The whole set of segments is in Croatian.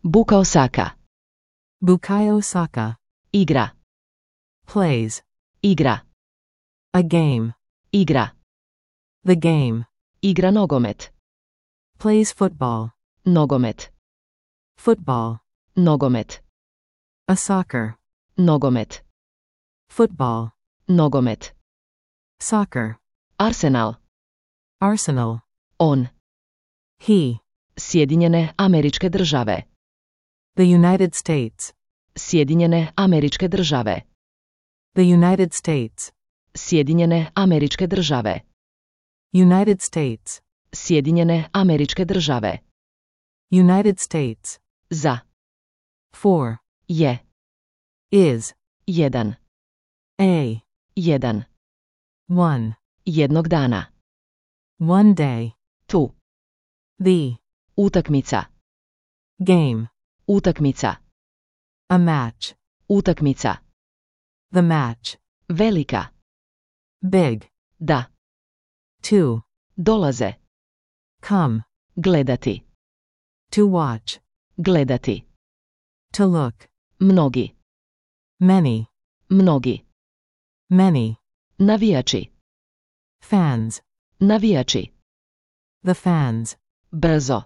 Buka Osaka. Bukai Osaka. Igra. Plays. Igra. A game. Igra. The game. Igra nogomet. Plays football. Nogomet. Football. Nogomet. A soccer. Nogomet. Football. Nogomet. Soccer. Arsenal. Arsenal. On. He. Sjedinjene Američke Države. The United States. Sjedinjene Američke Države. The United States. Sjedinjene Američke Države. United States. Sjedinjene Američke Države. United States. Za. For. Je. Is. Jedan. A. Jedan. One. Jednog dana. One day. Tu. The. Utakmica. Game. Utakmica. A match. Utakmica. The match. Velika. Big. Da. To. Dolaze. Come. Gledati. To watch. Gledati. To look. Mnogi. Many. Mnogi. Many. Navijači. Fans. Navijači. The fans. Brzo.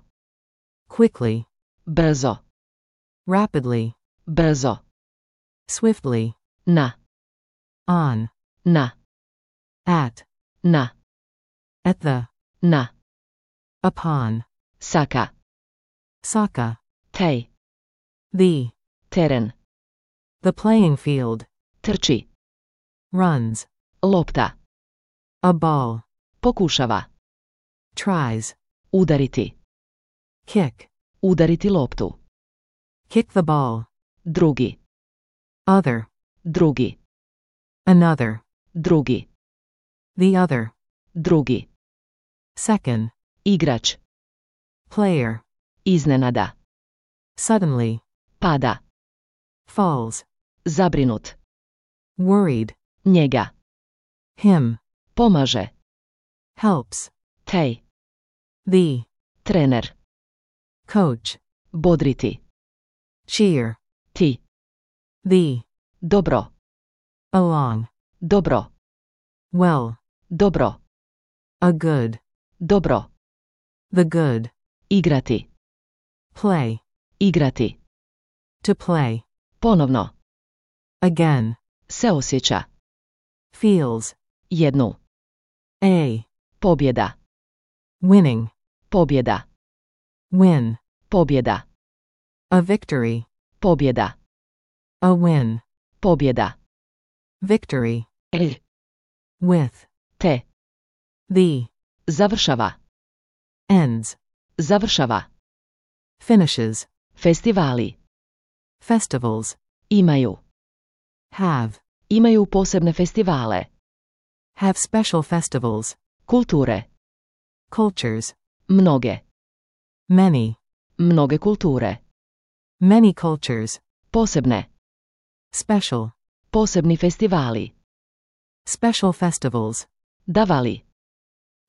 Quickly. Brzo. Rapidly. Brzo. Swiftly. Na. On. Na. At. Na. At the. Na. Upon. Saka. Saka. Tej. The. Teren. The playing field. Trči. Runs. Lopta. A ball. Pokušava. Tries. Udariti. Kick. Udariti loptu. Kick the ball. Drugi. Other. Drugi. Another. Drugi. The other. Drugi. Second. Igrač. Player. Iznenada. Suddenly. Pada. Falls. Zabrinut. Worried. Njega. Him. Pomaže. Helps. Tej. The. Trener. Coach. Bodriti. Cheer. Ti. The. Dobro. Along. Dobro. Well. Dobro. A good. Dobro. The good. Igrati. Play. Igrati. To play. Ponovno. Again. Se osjeća. Feels. Jednu. A. Pobjeda. Winning. Pobjeda. Win. Pobjeda. A victory. Pobjeda. A win. Pobjeda. Victory. E. With. Te. The. Završava. Ends. Završava. Finishes. Festivali. Festivals. Imaju. Have. Imaju posebne festivale. Have special festivals. Kulture. Cultures. Mnoge. Many. Mnoge kulture. Many cultures. Posebne. Special. Posebni festivali. Special festivals. Davali.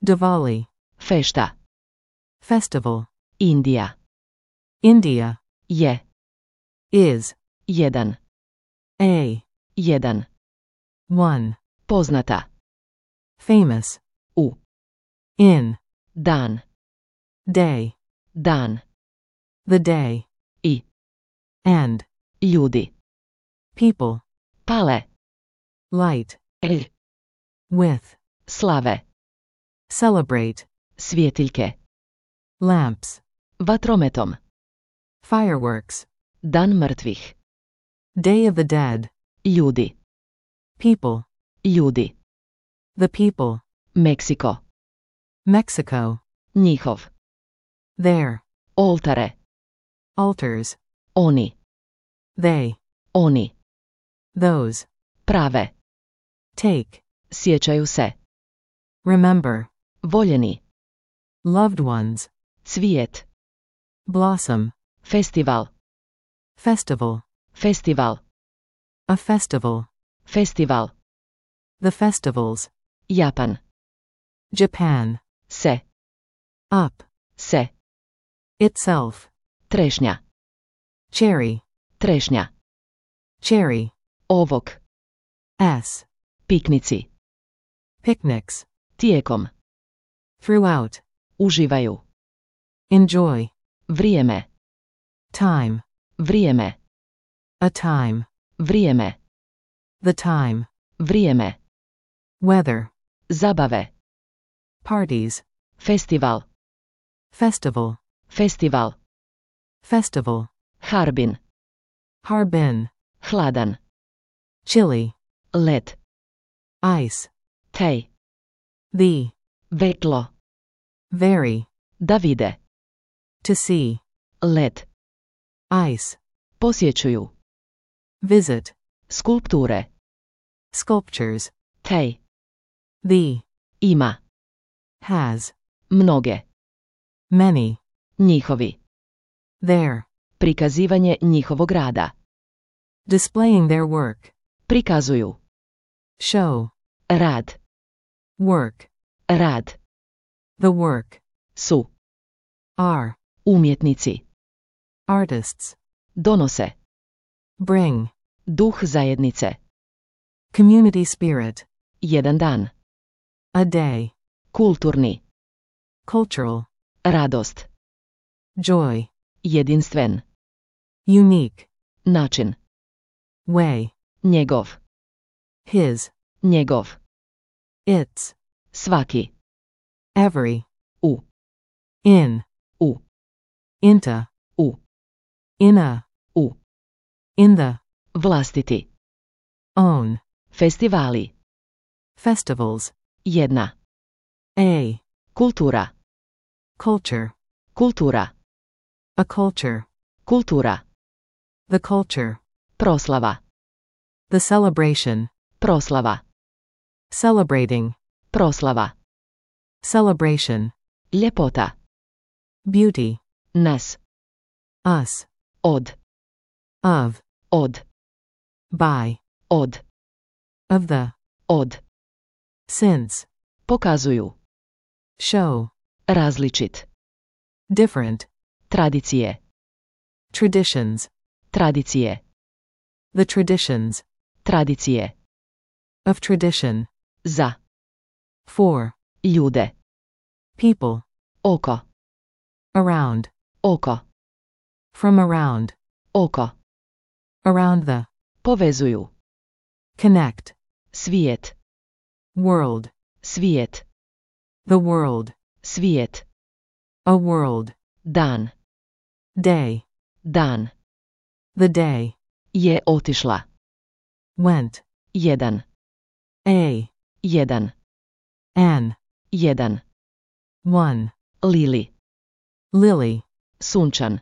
Diwali. Fešta. Festival. Indija. India. Je. Is. Jedan. A. Jedan. One. Poznata. Famous. U. In. Dan. Day. Dan. The day. I. And. Ljudi. People. Pale. Light. E. With. Slave. Celebrate. Svjetiljke. Lamps. Vatrometom. Fireworks. Dan mrtvih. Day of the dead. Ljudi. People. Ljudi. The people. Meksiko. Mexico. Njihov. Their. Oltare. Altars. Oni. They. Oni. Those. Prave. Take. Sjećaju se. Remember. Voljeni. Loved ones. Cvijet. Blossom. Festival. Festival. Festival. A festival. Festival. The festivals. Japan. Japan. Se. Up. Se. Itself. Trešnja. cherry, trešnja, cherry, ovok, s, piknici, picnics, tijekom, throughout, uživaju, enjoy, vrijeme, time, vrijeme, a time, vrijeme, the time, vrijeme, weather, zabave, parties, festival, festival, festival, festival, harbin, harbin, hladan, chilly, led, ice, tej, the, vetlo, very, da vide, to see, led, ice, posjećuju, visit, skulpture, sculptures, tej, the, ima, has, mnoge, many, njihovi, their, prikazivanje njihovog rada, displaying their work, prikazuju, show, rad, work, rad, the work, su, are, umjetnici, artists, donose, bring, duh zajednice, community spirit, jedan dan, a day, kulturni, cultural, radost, joy, jedinstven, unique, način, way, njegov, his, njegov, its, svaki, every, u, in, u, into, u, in a, u, in the, vlastiti, own, festivali, festivals, jedna, a, kultura, culture, kultura, a culture, kultura, the culture, proslava, the celebration, proslava, celebrating, proslava, celebration, ljepota, beauty, nas, us, od, of, by, od, of the, od, since, pokazuju, show, različit, different, tradicije, traditions, tradicije, the traditions, tradicije, of tradition, za, for, ljude, people, oko, around, oko, from around, oko, around the, povezuju, connect, svijet, world, svijet, the world, svijet, a world, dan, day, dan, the day, je otišla, went, jedan, jedan, an, jedan, one, lili, lily, sunčan,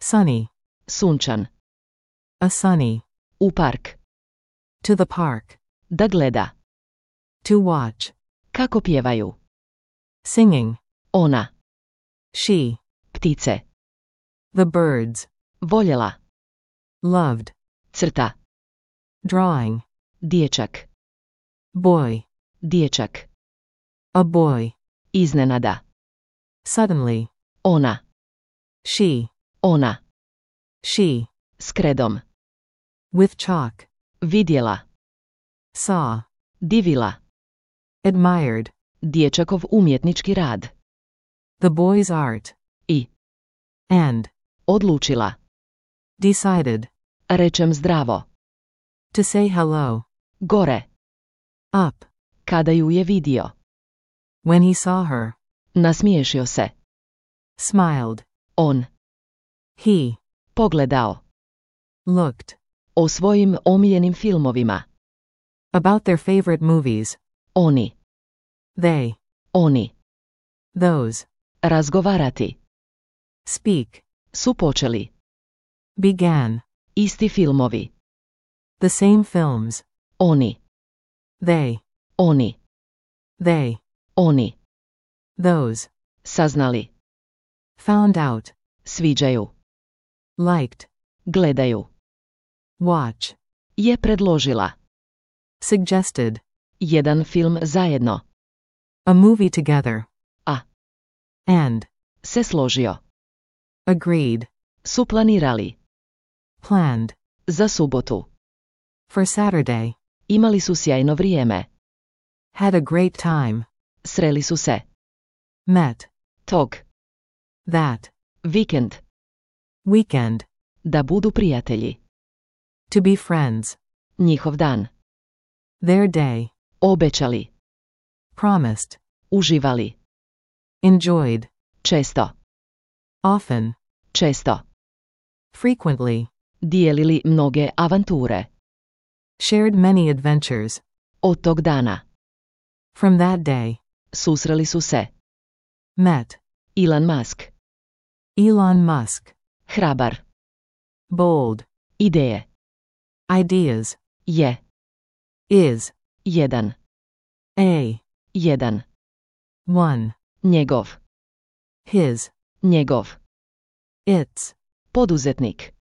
sunny, sunčan, a sunny, u park, to the park, da gleda, to watch, kako pjevaju, singing, ona, she, ptice, the birds, voljela, loved, crta, drawing, dječak, boy, dječak, a boy, iznenada, suddenly, ona, ona, she, s kredom, with chalk, vidjela, saw, divila, admired, dječakov umjetnički rad, the boy's art, i, and, odlučila, decided, rečem zdravo, to say hello, gore, up, kada ju je vidio, when he saw her, nasmiješio se, smiled, on, he, pogledao, looked, o svojim omiljenim filmovima, about their favorite movies, oni, they, oni, those, razgovarati, speak, su počeli, began, isti filmovi, the same films, oni, they, oni, oni, those, saznali, found out, sviđaju, liked, gledaju, watch, je predložila, suggested, jedan film zajedno, a movie together, and, se složio, agreed, su planirali, Planned. Za subotu. For Saturday. Imali su sjajno vrijeme. Had a great time. Sreli su se. Met. Tog. That. Vikend. Weekend. Da budu prijatelji. To be friends. Njihov dan. Their day. Obećali. Promised. Uživali. Enjoyed. Često. Often. Često. Frequently. Dijelili mnoge avanture. Shared many adventures. Od tog dana. From that day. Susreli su se. Met. Elon Musk. Elon Musk. Hrabar. Bold. Ideje. Ideas. Je. Is. Jedan. A. Jedan. One. Njegov. His. Njegov. Its. Poduzetnik.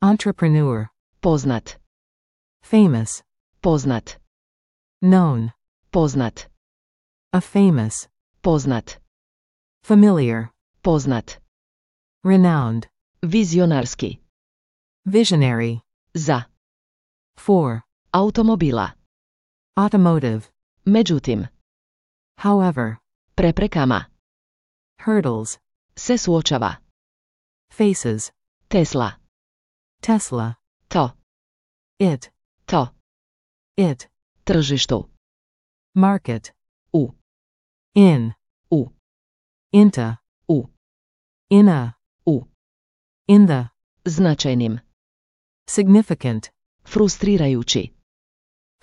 Entrepreneur. Poznat. Famous. Poznat. Known. Poznat. A famous. Poznat. Familiar. Poznat. Renowned. Vizionarski. Visionary. Za. For. Automobila. Automotive. Međutim. However. Preprekama. Hurdles. Se suočava. Faces. Tesla. Tesla. To. It. To. It. Tržištu. Market. U. In. U. Into. U. In a. U. In the. Značajnim. Significant. Frustrirajući.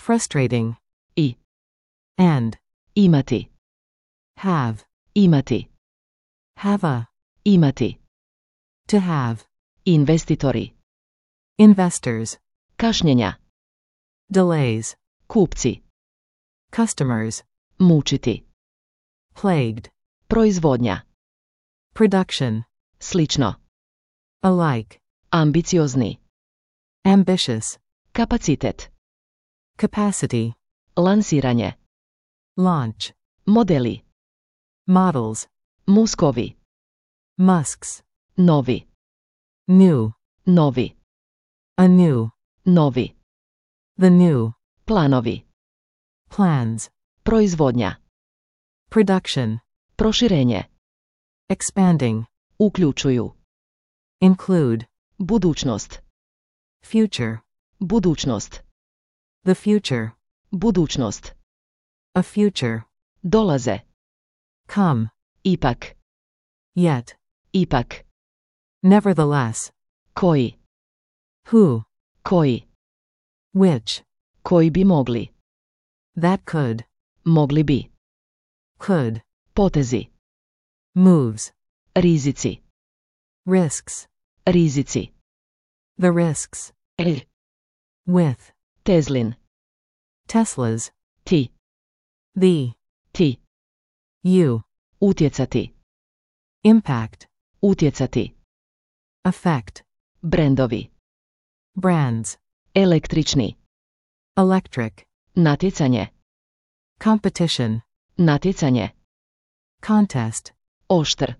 Frustrating. I. And. Imati. Have. Imati. Have a. Imati. To have. Investitori. Investors. Kašnjenja. Delays. Kupci. Customers. Mučiti. Plagued. Proizvodnja. Production. Slično. Alike. Ambiciozni. Ambitious. Kapacitet. Capacity. Lansiranje. Launch. Modeli. Models. Muskovi. Musks. Novi. New. Novi. A new. Novi. The new. Planovi. Plans. Proizvodnja. Production. Proširenje. Expanding. Uključuju. Include. Budućnost. Future. Budućnost. The future. Budućnost. A future. Dolaze. Come. Ipak. Yet. Ipak. Nevertheless. Koji. Who. Koji. Which. Koji bi mogli. That could. Mogli bi. Could. Potezi. Moves. Rizici. Risks. Rizici. The risks. With. Tezlin. Teslas. Ti. The. Ti. You. Utjecati. Impact. Utjecati. Effect. Brendovi. Brands. Električni. Electric. Natjecanje. Competition. Natjecanje. Contest. Oštr.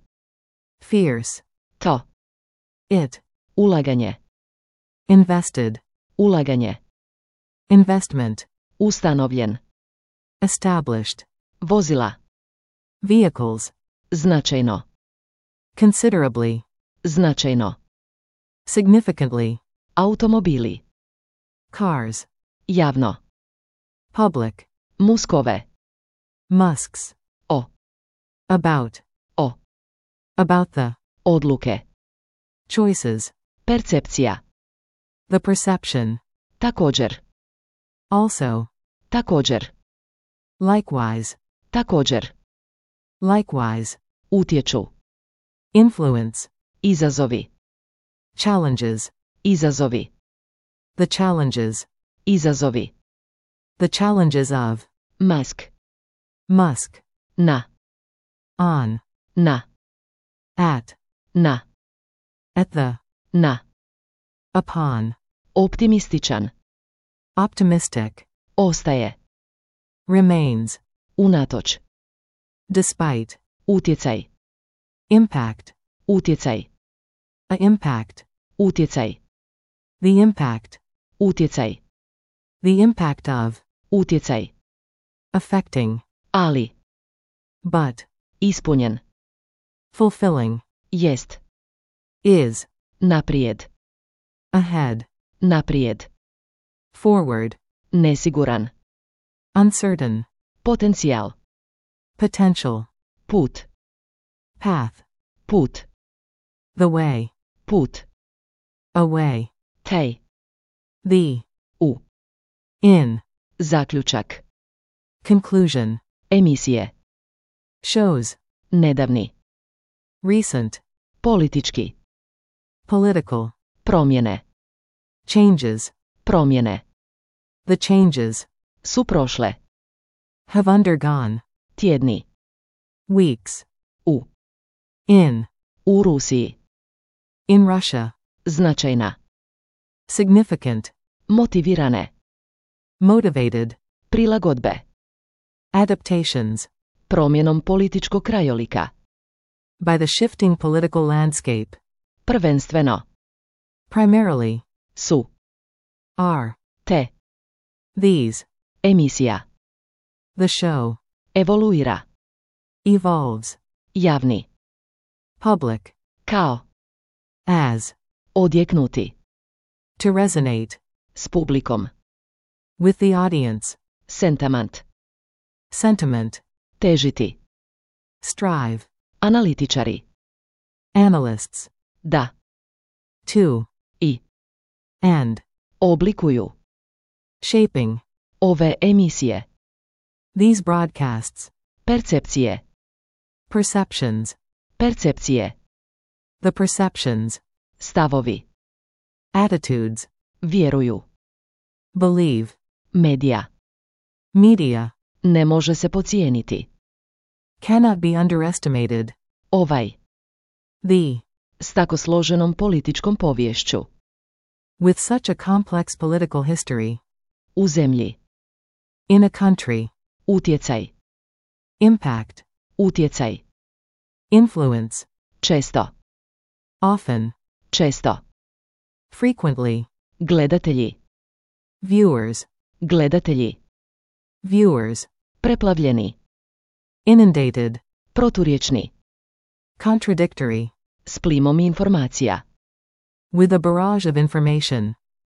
Fierce. To. It. Ulaganje. Invested. Ulaganje. Investment. Ustanovljen. Established. Vozila. Vehicles. Značajno. Considerably. Značajno. Significantly. Automobili. Cars. Javno. Public. Muskove. Musks. O. About. O. About the. Odluke. Choices. Percepcija. The perception. Također. Also. Također. Likewise. Također. Likewise. Utječu. Influence. Izazovi. Challenges. Izazovi. The challenges. Izazovi. The challenges of. Musk. Musk. Na. On. Na. At. Na. At the. Na. Upon. Optimističan. Optimistic. Ostaje. Remains. Unatoč. Despite. Utjecaj. Impact. Utjecaj. A impact. Utjecaj. The impact. Utjecaj. The impact of. Utjecaj. Affecting. Ali. But. Ispunjen. Fulfilling. Jest. Is. Naprijed. Ahead. Naprijed. Forward. Nesiguran. Uncertain. Potencijal. Potential. Put. Path. Put. The way. Put. Away. Taj. The. U. In. Zaključak. Conclusion. Emisije. Shows. Nedavni. Recent. Politički. Political. Promjene. Changes. Promjene. The changes. Su prošle. Have undergone. Tjedni. Weeks. U. In. U Rusiji. In Russia. Značajna. Significant. Motivirane. Motivated. Prilagodbe. Adaptations. Promjenom političkog krajolika. By the shifting political landscape. Prvenstveno. Primarily. Su. Are. Te. These. Emisija. The show. Evoluira. Evolves. Javni. Public. Kao. As. Odjeknuti. To resonate. S publikom. With the audience. Sentiment. Sentiment. Težiti. Strive. Analitičari. Analysts. Da. To. I. And. Oblikuju. Shaping. Ove emisije. These broadcasts. Percepcije. Perceptions. Percepcije. The perceptions. Stavovi. Attitudes. Vjeruju. Believe. Medija. Media. Ne može se pocijeniti. Cannot be underestimated. Ovaj. The. S tako složenom političkom poviješću. With such a complex political history. U zemlji. In a country. Utjecaj. Impact. Utjecaj. Influence. Često. Often. Često. Frequently. Gledatelji. Viewers. Gledatelji. Viewers. Preplavljeni. Inundated. Proturječni. Contradictory. S plimom informacija. With a barrage of information.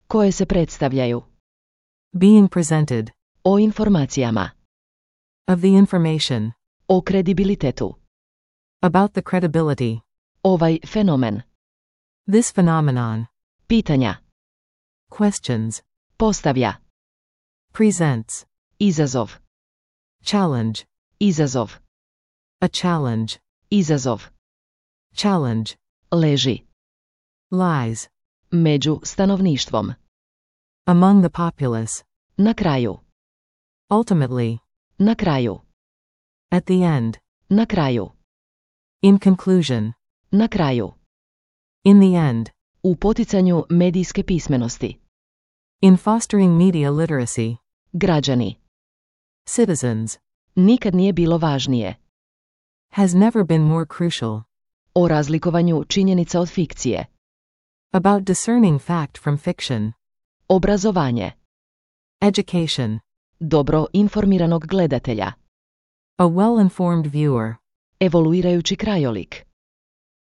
Koje se predstavljaju. Being presented. O informacijama. Of the information. O kredibilitetu. About the credibility. Ovaj fenomen. This phenomenon. Pitanja. Questions. Postavlja. Presents. Izazov. Challenge. Izazov. A challenge. Izazov. Challenge. Leži. Lies. Među stanovništvom. Among the populace. Na kraju. Ultimately. Na kraju. At the end. Na kraju. In conclusion. Na kraju. In the end. U poticanju medijske pismenosti. In fostering media literacy. Građani. Citizens. Nikad nije bilo važnije. Has never been more crucial. O razlikovanju činjenica od fikcije. About discerning fact from fiction. Obrazovanje. Education. Dobro informiranog gledatelja. A well-informed viewer. Evoluirajući krajolik.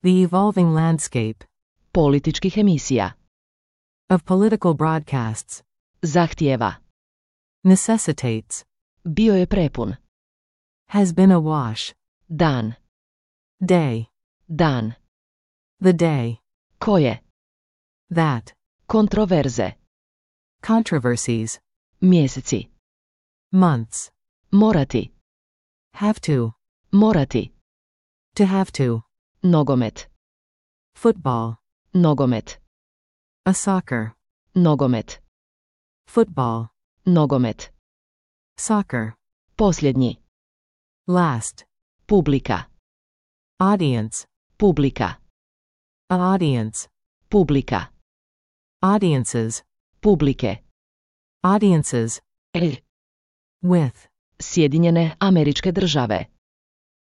The evolving landscape. Političkih emisija. Of political broadcasts. Zahtijeva. Necessitates. Bio je prepun. Has been awash. Dan. Day. Dan. The day. Koje. That. Kontroverze. Controversies. Mjeseci. Months. Morati. Have to. Morati. To have to. Nogomet. Football. Nogomet. A soccer. Nogomet. Football. Nogomet. Soccer. Posljednji. Last. Publika. Audience. Publika. A audience. Publika. Audiences. Publike. Audiences. With. Sjedinjene Američke Države.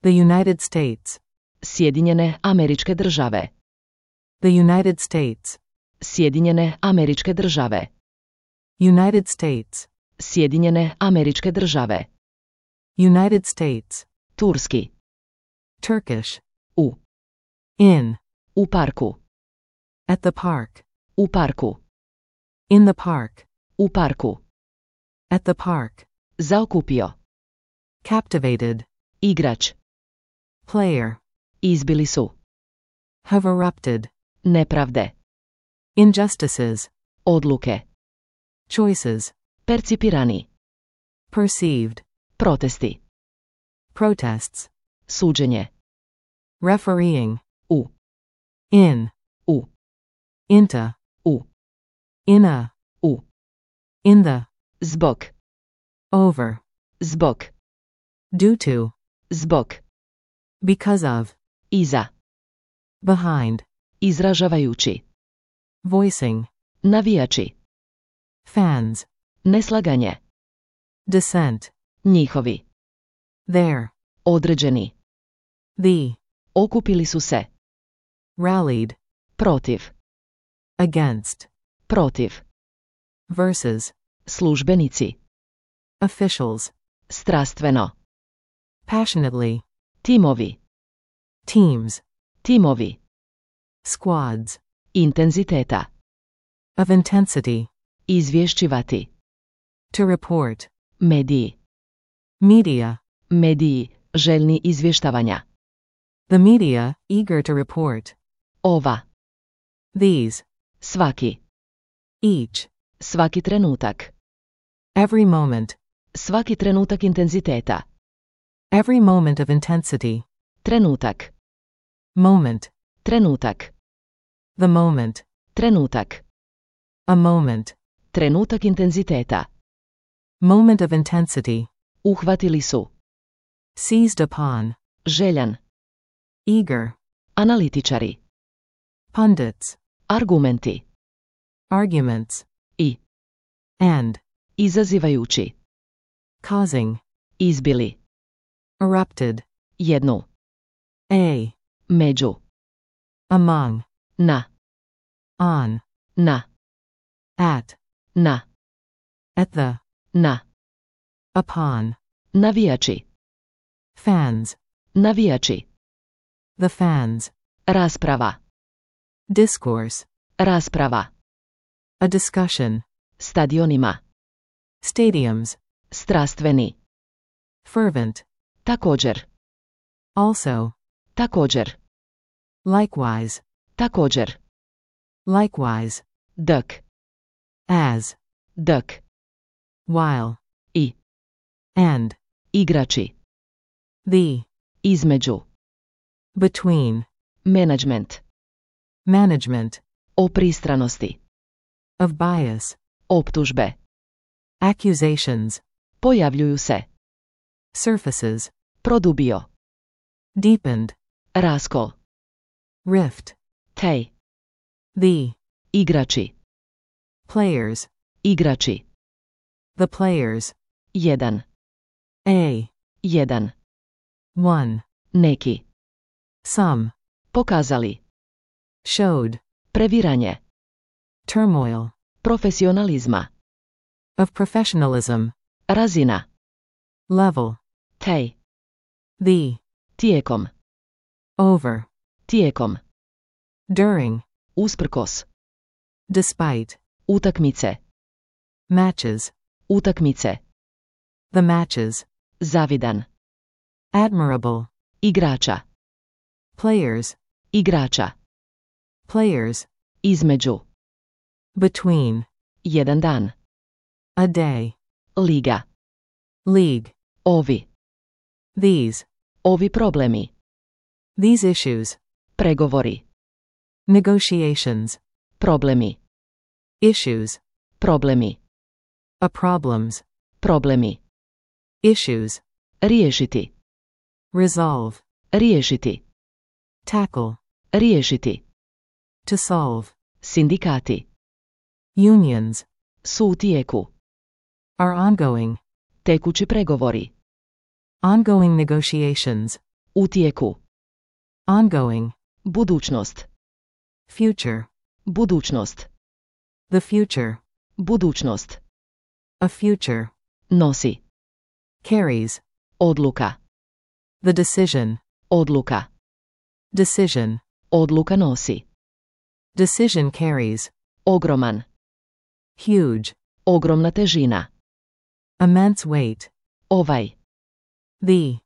The United States. Sjedinjene Američke Države. The United States. Sjedinjene Američke Države. United States. Sjedinjene Američke Države. United States. Turski. Turkish. U. In. U parku. At the park. U parku. In the park. U parku. At the park. Zaokupio. Captivated. Igrač. Player. Izbili su. Have erupted. Nepravde. Injustices. Odluke. Choices. Percipirani. Perceived. Protesti. Protests. Suđenje. Refereeing. U. In. U. Into. U. In a. U. In the. Zbog. Over. Zbog. Due to. Zbog. Because of. Iza. Behind. Izražavajući. Voicing. Navijači. Fans. Neslaganje. Dissent. Njihovi. Their. Određeni. The. Okupili su se. Rallied. Protiv. Against. Protiv. Versus. Službenici. Officials. Strastveno. Passionately. Timovi. Teams. Timovi. Squads. Intenziteta. Of intensity. Izvješćivati. To report. Mediji. Media. Mediji, željni izvještavanja. The media, eager to report. Ova. These. Svaki. Each. Svaki trenutak. Every moment. Svaki trenutak intenziteta. Every moment of intensity. Trenutak. Moment. Trenutak. The moment. Trenutak. A moment. Trenutak intenziteta. Moment of intensity. Uhvatili su. Seized upon. Željan. Eager. Analitičari. Pundits. Argumenti. Arguments. I. And. Izazivajući. Causing. Izbili. Erupted. Jednu. A. Među. Among. Na. On. Na. At. Na. At the. Na. Upon. Navijači. Fans. Navijači. The fans. Rasprava. Discourse. Rasprava. A discussion. Stadionima. Stadiums. Strastveni. Fervent. Također. Also. Također. Likewise. Također. Likewise. Dok. As. Dok. While. I. And. Igrači. The. Između. Between. Management. Management. O pristranosti. Of bias. Optužbe. Accusations. Pojavljuju se. Surfaces. Produbio. Deepened. Raskol. Rift. Tej. The. Igrači. Players. Igrači. The players. Jedan. A. Jedan. One. Neki. Some. Pokazali. Showed. Previranje. Turmoil. Profesionalizma. Of professionalism. Razina. Level. Tej. The. Tijekom. Over. Tijekom. During. Usprkos. Despite. Utakmice. Matches. Utakmice. The matches. Zavidan. Admirable. Igrača. Players. Igrača. Players. Između. Between. Jedan dan. A day. Liga. League. Ovi. These. Ovi problemi. These issues. Pregovori. Negotiations. Problemi. Issues. Problemi. A problems. Problemi. Issues. Riješiti. Resolve. Riješiti. Tackle. Riješiti. To solve. Sindikati. Unions. Su u tijeku. Are ongoing. Tekući pregovori. Ongoing negotiations. U tijeku. Ongoing. Budućnost. Future. Budućnost. The future. Budućnost. A future. Nosi. Carries. Odluka. The decision. Odluka. Decision. Odluka nosi. Decision carries. Ogroman. Huge. Ogromna težina. Immense weight. Ovaj. The.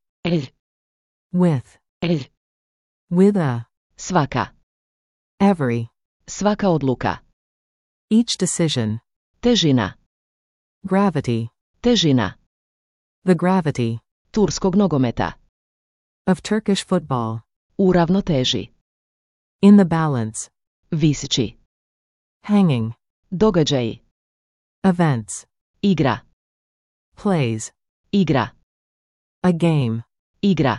With. With a. Svaka. Every. Svaka odluka. Each decision. Težina. Gravity. Težina. The gravity. Turskog nogometa. Of Turkish football. U ravnoteži. In the balance. Visići. Hanging. Događaji. Events. Igra. Plays. Igra. A game. Igra.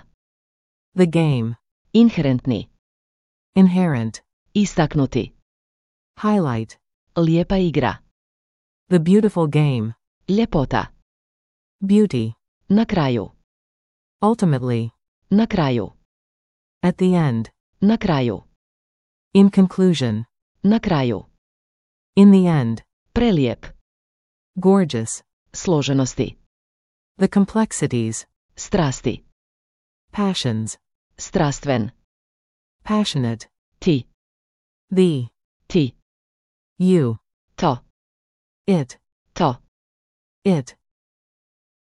The game. Inherentni. Inherent. Istaknuti. Highlight. Lijepa igra. The beautiful game. Ljepota. Beauty. Na kraju. Ultimately. Na kraju. At the end. Na kraju. In conclusion. Na kraju. In the end. Prelijep. Gorgeous. Složenosti. The complexities. Strasti. Passions. Strastven. Passionate. Ti. The. Ti. You. To. It. To. It.